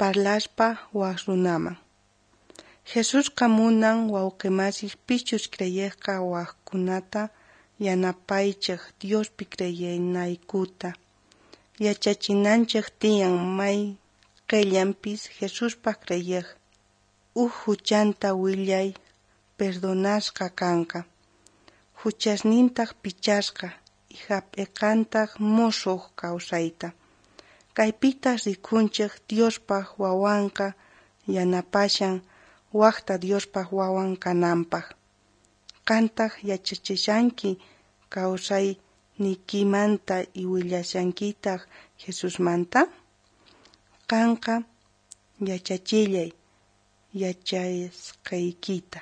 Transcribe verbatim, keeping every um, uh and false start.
Parlaspa waj runaman. Jesusqa munan wawqemasis pichus creyejqa wajkunata yanapaychej Diospi creyenaykuta. Yachachinanchej tiyan mayqellampis Jesuspaj creyej, uj juchanta willay perdonasqa kanqa, juchasnintaj pichasqa y jap'eqantaj mosoj kawsayta. Kaypitaj rikunchej Diospaj wawanqa yanapashan wajta Diospaj wawan kanampaj. Qantaj yachachishanki kawsayniykimanta y willashankitaj Jesusmanta? Qanqa yachachillay yachasqaykita.